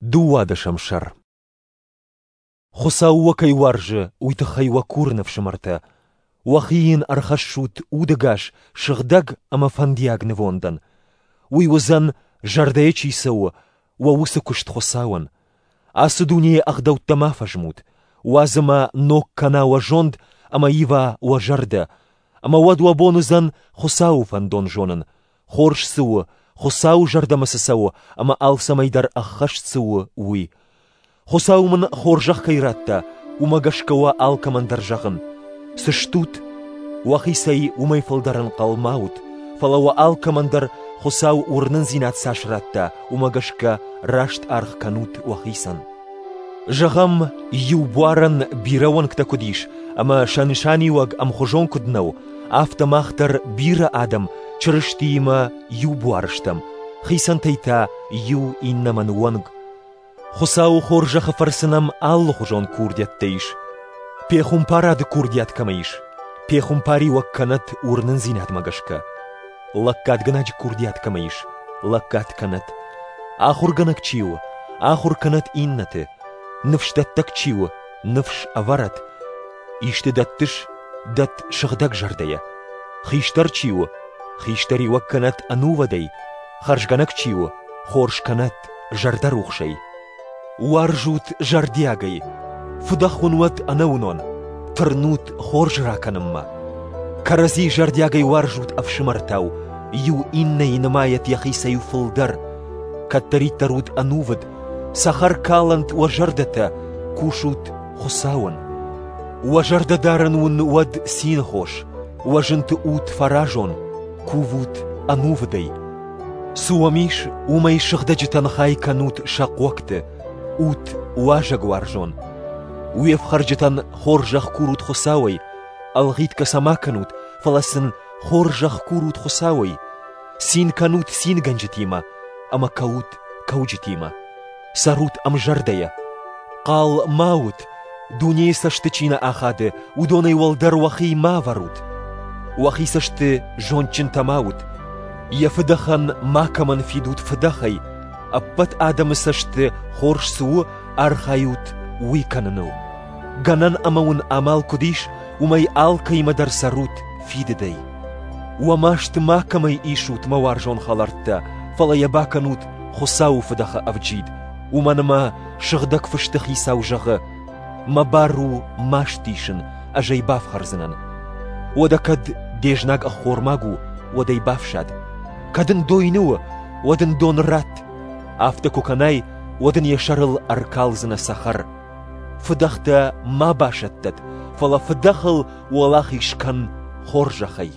Дыууадӕсӕм сӕр. Хуыцау уӕ кӕй уарзы, уый тыххӕй уӕ курын, ӕфсымӕртӕ, уӕхи йын ӕрхӕссут удӕгас, сыгъдӕг ӕмӕ фӕндиаг нывондӕн. Уый уыдзӕн, зӕрдӕйӕ чи цӕуы, уӕ уыцы куыст Хуыцауӕн. Ацы дунейы ӕгъдӕуттӕ ма фӕзмут, уадз ӕмӕ ног кӕна уӕ зонд ӕмӕ ива уӕ зӕрдӕ, ӕмӕ уӕд уӕ бон уыдзӕн Хуыцауы фӕндон зонын, хорз цы у, Хуыцауы зӕрдӕмӕ цы цӕуы ӕмӕ алцӕмӕй дӕр ӕххӕст цы у, уый. Хуыцау мын хорзӕх кӕй радта, уымӕ гӕсгӕ уӕ алкӕмӕн дӕр зӕгъын: цы стут, уӕхицӕй уымӕй фылдӕр ӕнхъӕл ма ут, фӕлӕ уӕ алкӕмӕн дӕр Хуыцау уырнындзинад цас радта, уымӕ гӕсгӕ раст аргъ кӕнут уӕхицӕн. Зӕгъӕм, иу буарӕн бирӕ уӕнгтӕ куыд ис ӕмӕ сӕ нысаниуӕг ӕмхуызон куыд нӕу, афтӕ мах дӕр бирӕ адӕм Чырыстиимӕ иу буар стӕм, хицӕнтӕй та иу иннӕмӕн уӕнг. Хуыцауы хорзӕхы фӕрцы нӕм алыхуызон курдиӕттӕ ис. Пехуымпарады курдиат кӕмӕ ис, пехуымпариуӕг кӕнӕд уырнындзинадмӕ гӕсгӕ. Лӕггадгӕнӕджы курдиат кӕмӕ ис, лӕггад кӕнӕд. Ахуыргӕнӕг чи у, ахуыр кӕнӕд иннӕты. Ныфсдӕттӕг чи у, ныфс ӕвӕрӕд. Исты дӕттыс, дӕтт сыгъдӕг зӕрдӕйӕ. Хистӕр чи у, хистӕриуӕг кӕнӕд ӕнувыдӕй, хӕрзгӕнӕг чи у, хорз кӕнӕд зӕрдӕрухсӕй. Уарзут зӕрдиагӕй, фыдӕх уын уӕд ӕнӕуынон, тырнут хорз ракӕнынмӕ. Кӕрӕдзи зӕрдиагӕй уарзут ӕфсымӕртау, иу иннӕйы нымайӕт йӕхицӕй фылдӕр. Кӕддӕриддӕр ут ӕнувыд, цӕхӕр калӕнт уӕ зӕрдӕтӕ, кусут Хуыцауӕн. Уӕ зӕрдӕдарӕн уын уӕд цины хос, уӕ зынты ут фӕразон, кувут ӕнувыдӕй. Цы уӕм ис, уымӕй сыгъдӕджытӕн хай кӕнут сӕ хъуӕгты, ут уазӕгуарзон. Уе фхӕрджытӕн хорзӕх курут Хуыцауӕй, ӕлгъитгӕ сӕ ма кӕнут, фӕлӕ сын хорзӕх курут Хуыцауӕй. Цин кӕнут цингӕнджытимӕ ӕмӕ кӕут кӕуджытимӕ. Цӕрут ӕмзӕрдӕйӕ. Хъал ма ут, дунейы цӕсты чи нӕ ахады, уыдонӕй уӕлдӕр уӕхи ма ӕвӕрут. Уӕхи цӕсты зондджынтӕ ма ут. Йӕ фыдӕхӕн макӕмӕн фидут фыдӕхӕй, ӕппӕт адӕмы цӕсты хорз цы у, архайут уый кӕныныл. Гӕнӕн ӕмӕ уын амал куыд ис, уымӕй алкӕимӕ дӕр цӕрут фидыдӕй. Уӕ маст макӕмӕй исут, мӕ уарзон хӕлӕрттӕ, фӕлӕ йӕ бакӕнут Хуыцауы фыдӕхы ӕвджид, уымӕн ӕмӕ Сыгъдӕг Фысты Хицау зӕгъы: «Мӕ бар у маст исын, ӕз ӕй бафхӕрдзынӕн». Уӕдӕ кӕд де знаг ӕххормаг у, уӕд ӕй бафсад. Кӕд ын дойны у, уӕд ын дон ратт. Афтӕ куы кӕнай, уӕд ын йӕ сӕрыл ӕркалдзынӕ цӕхӕр. Фыдӕхтӕ ма басӕттӕд, фӕлӕ фыдӕхыл уӕлахиз кӕн хорзӕхӕй.